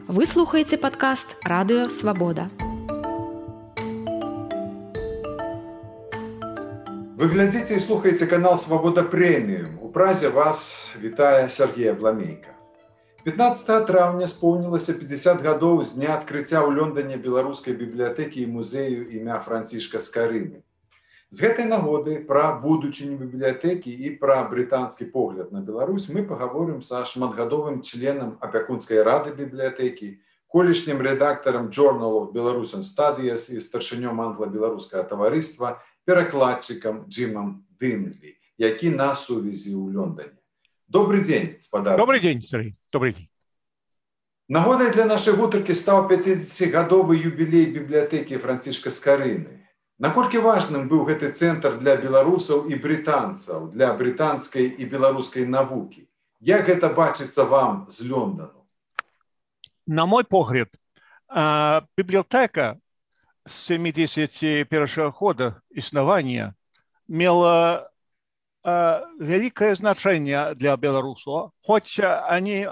Вы слухаеце падкаст Радыё Свабода. Вы глядзіце і слухаеце канал Свабода Прэміум. У празе вас вітае Сергей Абламейка. 15 траўня споўнілася 50 гадоў з дня адкрыцця ў Лондоне беларускай бібліятэкі і музею імя Францішка Скарыны. З гэтай нагоды пра будучыню бібліятэкі і пра брытанскі погляд на Беларусь мы пагаворым са шматгадовым членам апякунскай рады бібліятэкі, колішнім рэдактарам Journal of Belarusian Studies і старшынём англа-беларускага таварыства, перакладчыкам Джимом Дынлі, які на сувязі ў Лондоне. Добрый дзень, спадар. Добрый дзень, Сергей. Добрый дзень. Нагодай для нашай гутаркі стаў 50-гадовы юбілей бібліятэкі Францішка Скарыны. Наколькі важным быў гэты цэнтр для беларусаў і брытанцаў, для брытанскай і беларускай навукі? Як гэта бачыцца вам з Лондону? На мой погляд, библиотека с 71 года існавання мела великое значение для белорусов, хоть они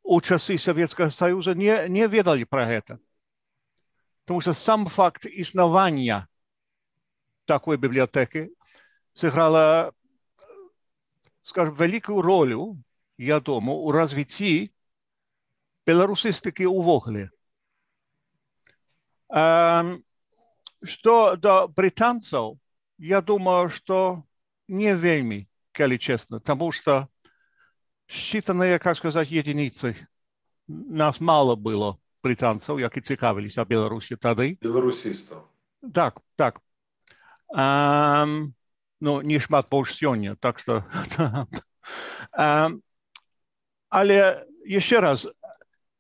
у часы Советского Союза не ведали про это. Потому что сам факт існавання такой библиотеки сыграла, скажем, великую роль, я думаю, у развитии беларусістыкі ўвогуле. Что до британцев, я думаю, что не вельми, коли честно, потому что считанные, как сказать, единицы, нас мало было британцев, які цікавились о Беларусі тады. Беларусістаў. Так. Ну, не шмат больш сёння, так что... Але, еще раз,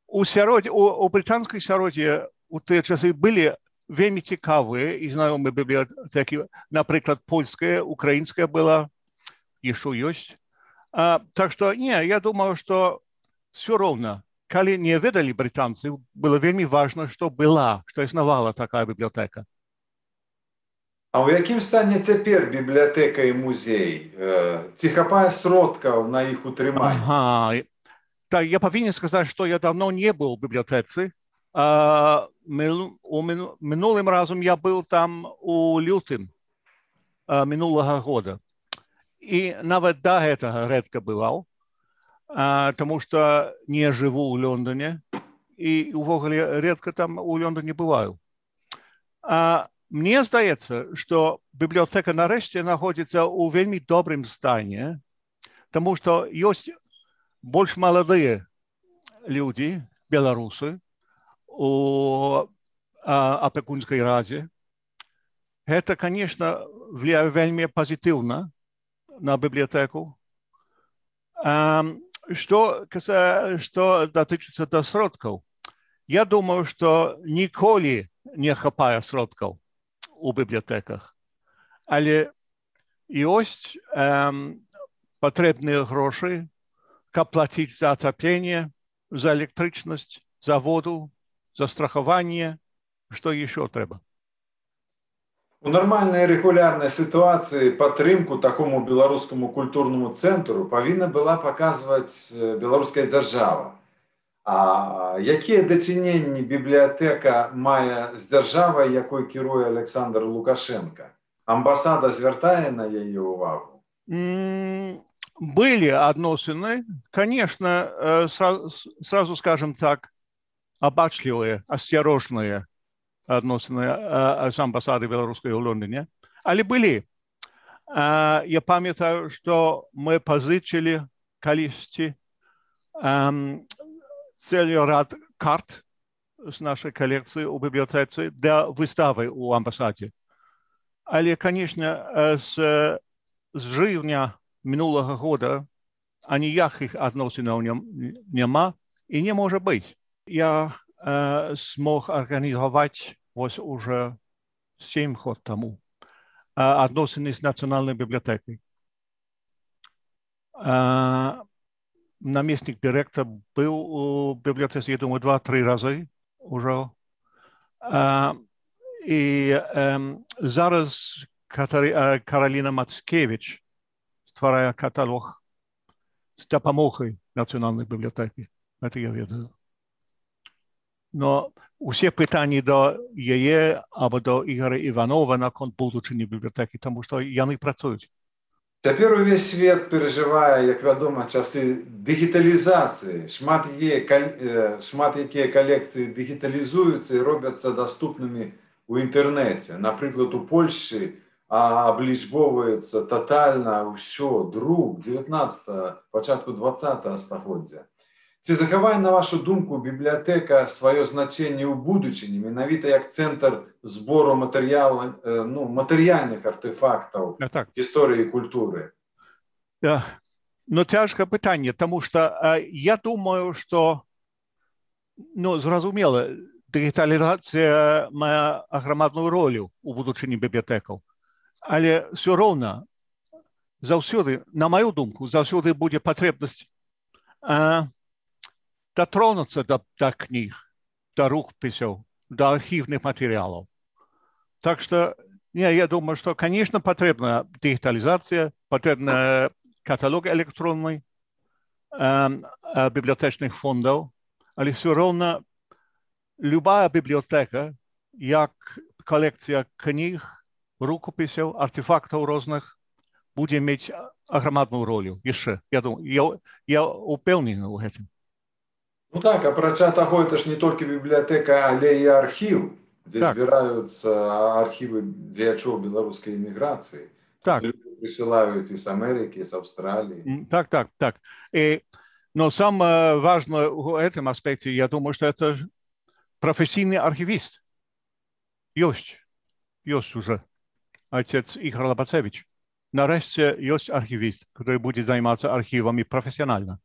у британской сяроде у тыя часы были вельмі цікавыя і знаёмыя бібліятэкі, напрыклад, польская, украинская была, еще есть. Так что, я думаю, что все ровно, калі не ведали британцы, было вельмі важно, что існавала такая бібліятэка. А ў якім стане цяпер бібліятэка і музей? Ці хапае сродкаў на іх утрыманне? Так, я повинен сказать, что я давно не был в библиотеке. Минулым разом я был там у лютым минулого года. И навіть до этого редко бывал, потому что не живу в Лондоне. И увогуле редко там у Лондоне бываю. Мне здається, что библиотека нарешті находится у вельми добрым стані, потому что есть больше молодые люди, белорусы, у опекунской раде. Это, конечно, влияет вельми позитивно на библиотеку. Что дотычется до сродков, я думаю, что ніколи не хапає сродков у библиотеках. Але есть потрібні гроші, как платить за отопление, за электричность, за воду, за страхование, что еще треба. У нормальной регулярной ситуации падтрымку такому беларускаму культурному цэнтру павінна была паказваць беларуская дзяржава. А якія дачыненні бібліятэка мае з дзяржавай, якой кіруе Александр Лукашенко? Амбасада звяртае на яе ўвагу? Были односины, конечно, сразу скажем так, обачливые, осторожные односины с амбассадой белорусской в Лондоне. Але были. Я памятаю, что мы позычили количество целый ряд карт с нашей коллекции у библиотеки для выставы у амбассаде. Але, конечно, с живня минулого года ніяких відносин нема і не може бути. Я змог організувати ось уже 7 років тому відносини з Національною бібліотекою. Намісник директора був у бібліотеці, я думаю, 2-3 рази вже. І зараз Кароліна Мацкевич створяє каталог з допомогою Національної бібліотеки. Это я ведаю. Но усе пытанні до яе або до Ігора Іванова наконт будучыні бібліятэкі, тому што яны працуюць. Цяпер увесь свет перажывае, як вядома, часы дыгіталізацыі. Шмат якія калекцыі дыгіталізуюцца і робяцца даступнымі ў інтэрнэце. Напрыклад, у Польшчы аблічбоўваецца татальна ўсё, друк 19-го, пачатку 20-го стагоддзя. Ці захавае, на вашу думку, бібліятэка сваё значэнне ў будучыні, менавіта як цэнтр збору матэрыяльных артефактаў гісторыі і культуры? Ну, цяжкае пытанне, таму што я думаю, што, зразумела, дыгіталізацыя мае аграмадную ролю ў будучыні бібліятэкаў, але ўсё роўна заўсёды, на маю думку, заўсёды будзе патрэбнасць дотронуться до книг, до рукописей, до архивных материалов. Так что, я думаю, что, конечно, потребна дигитализация, потребен каталог электронный библиотечных фондов, але все равно любая библиотека, как коллекция книг, рукописей, артефактов разных, будет иметь огромную роль еще. Я думаю, я упевнений в этом. Ну так, апрача таго, это ж не толькі бібліятэка, але і архіў, дзе збіраюцца архівы дзеячоў беларускай эміграцыі. Люди прысылаюць і з Амерыкі, і з Аўстраліі. Так. Но самое важное в этом аспекте, я думаю, что это профессийный архивист. Есть уже отец Игорь Лобацевич. Нарешті есть архивист, который будет заниматься архивами профессионально.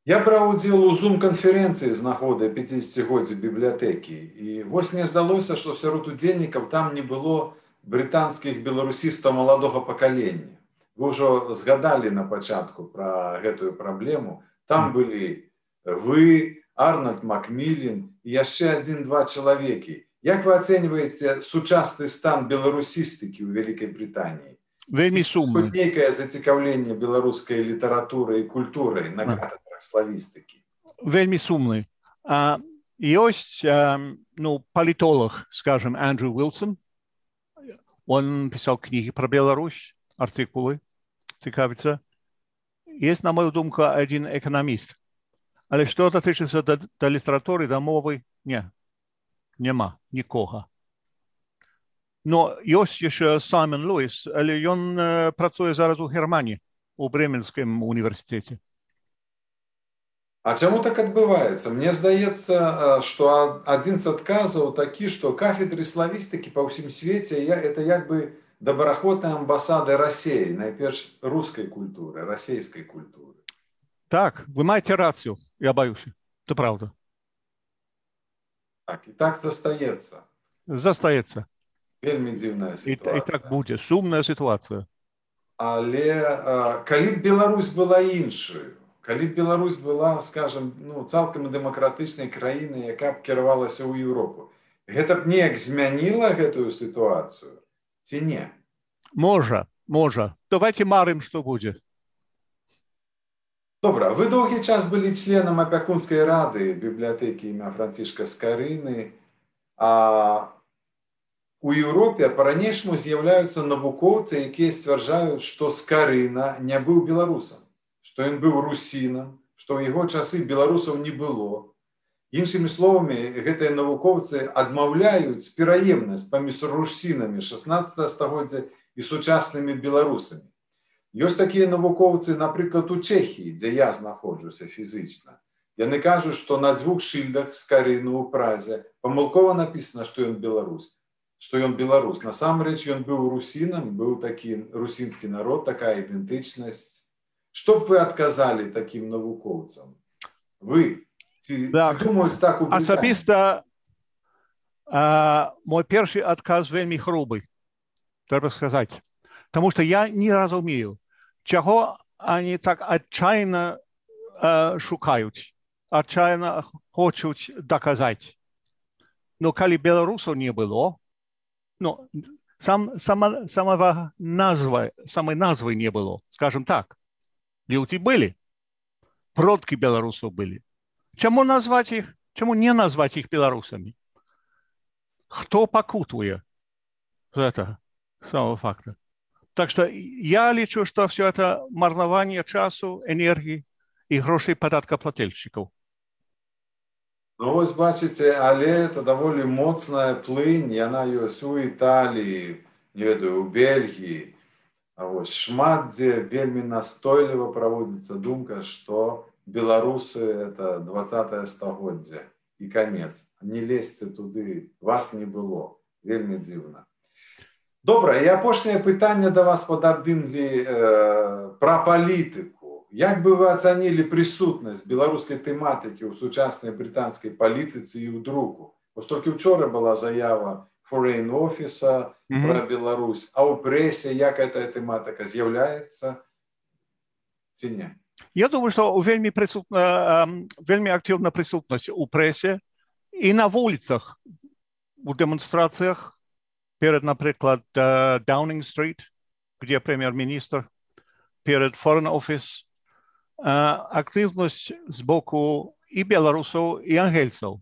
Я браў удзел у зум-канферэнцыі з нагоды 50-годдзя бібліятэкі. І вось мне здалося, што сярод удзельнікаў там не было брытанскіх беларусістаў маладога пакалення. Вы ўжо згадалі на пачатку пра гэтую праблему. Там былі вы, Арнольд Макміллен і яшчэ 1-2 чалавекі. Як вы ацэньваеце сучасны стан беларусістыкі ў Вялікай Брытаніі? Вельмі сумны. Нейкае зацікаўленне беларускай літаратурай і культурай на катедрах славістыкі? Вельмі сумны. Есть политолог, скажем, Эндрю Уилсон. Он писал книги про Беларусь, артикулы, цікавится. Есть, на мою думку, один экономист. Але что дотычыцца до літературы, до мовы, нема нікога. Но есть еще Саймон Луис, але он працуе зараз у Германии, у Бременском университете. А чаму так адбываецца? Мне здаецца, што адзін з адказаў такі, што кафедры славістыкі па ўсім свеце это як бы добраахвотныя амбасады Расіі, найперш рускай культуры, расійскай культуры. Так, вы маеце рацыю, я боюсь. Это правда. Так, і так застаецца. Застаецца. Вельмі дзіўная сітуацыя. І так будзе, сумная сітуацыя. Але калі б Беларусь была іншаю, калі б Беларусь была, скажем, цалкам дэмакратычнай краінай, якая б кіравалася ў Еўропу, гэта б неяк змяніла гэтую сітуацыю ці не? Можа. Давайте марым, што будзе. Добра, вы доўгі час былі членам апякунскай рады бібліятэкі імя Францішка Скарыны, а у Еўропе па-ранейшаму з'яўляюцца навукоўцы, якія сцвярджаюць, што Скарына не быў беларусам, што ён быў русінам, што ў яго часы беларусаў не было. Іншымі словамі, гэтыя навукоўцы адмаўляюць пераемнасць паміж русінамі 16 стагоддзя і сучаснымі беларусамі. Ёсць такія навукоўцы, напрыклад, у Чэхіі, дзе я знаходжуся фізічна. Яны кажуць, што на 2 шыльдах Скарыну ў Празе памылкова напісана, што ён беларус. Што ён беларус. Насамрэч, ён быў русінам, быў такі русінскі народ, такая ідэнтычнасць. Што б вы адказалі такім навукоўцам? Вы ці думаюць так у Брытаніі? Асабіста мой першы адказ вельмі грубы, трэба сказаць. Таму што я не разумею, чаго они так отчаянно шукаюць, отчаянно хочуць доказаць. Но калі беларусаў не было, самой назвы не было, скажем так. Люди были, продки белорусов были. Чему назвать их? Чему не назвать их белорусами? Кто покутует с этого самого факта? Так что я лечу, что все это марнование часу, энергии и грошей податкоплательщиков. Ну, вось бачыце, але это даволі моцная плынь, яна ёсць у Італіі, не ведаю, у Бельгіі. А вось шмат дзе вельмі настойліва праводзіцца думка, што беларусы это 20-е стагоддзе і канец. Не лезьце туды, вас не было. Вельмі дзіўна. Добра, і апошняе пытанне да вас падабдынглі пра палітыку. Як бы вы ацанілі прысутнасць беларускай тэматыкі ў сучаснай брытанскай палітыцы і ў друку? Вось толькі учора была заява Foreign Office пра Беларусь, а ў прэсе як гэтая тэматыка з'яўляецца ці не? Я думаю, что вельми активна присутность у прессе и на улицах, у демонстрациях перед, например, Даунинг-стрит, где премьер-министр, перед Foreign Office, активность сбоку и белорусов, и ангельцев.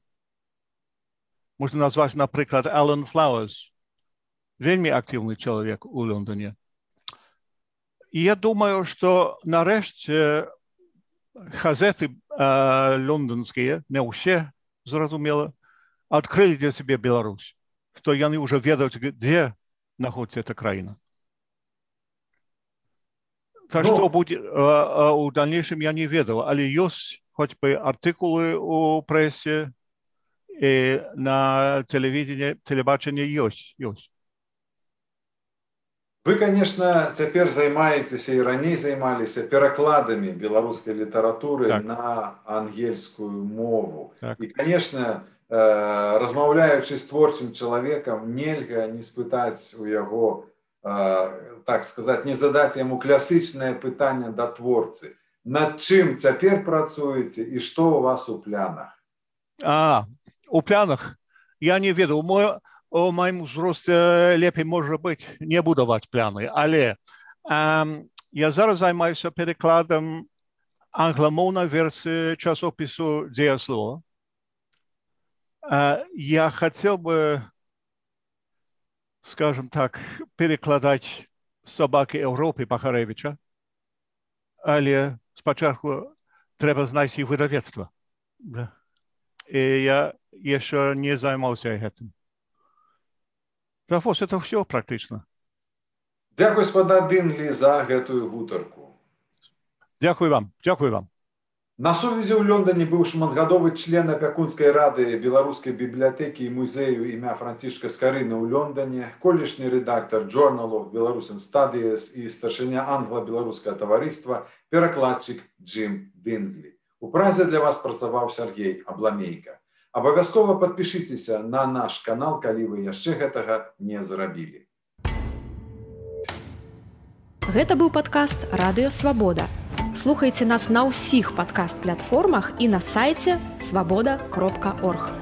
Можно назвать, например, Алан Флауэрс, вельми активный человек у Лондоне. І я думаю, що нарешті газети лондонські, не усі, зрозуміло, відкрили для себе Білорусь, що вони вже ведають, де знаходиться ця країна. Так що буде у дальнейшем я не ведав, але є хоч би артикули у пресі і на телебаченні є. Вы, конечно, цяпер займаецеся і раней займаліся перакладамі беларускай літаратуры на ангельскую мову. І, конечно, размаўляючы з творчым чалавекам, нельга не спытаць у яго, так сказаць, не задаць яму класычнае пытанне да творцы. Над чым цяпер працуеце і што у вас у планах? У планах? Я не ведаў. У моем узросте лепей, может быть, не будовать планы, але я зараз займаюся перекладом англомовной версии часопису «Дієслово». Я хотел бы, скажем так, перекладать «Собаки Европы» Бахаревича, але спочатку треба знать и выдавецтво. И я еще не займался этим. Это все практично. Дякую, спада Дынглі, за гэтую гутарку. Дякую вам. На сувязі ў Лондоне быў шматгадовы член апякунскай рады беларускай бібліятэкі і музею імя Францішка Скарыны ў Лондоне, колішні рэдактар Journal of Belarusian Studies і старшыня англа-беларускага таварыства, перакладчык Джим Дынглі. У празе для вас працаваў Сергей Абламейка. Абавязкова падпішыцеся на наш канал, калі вы яшчэ гэтага не зрабілі. Гэта быў падкаст «Радыё Свабода». Слухайце нас на ўсіх падкаст-платформах і на сайце свабода.орг.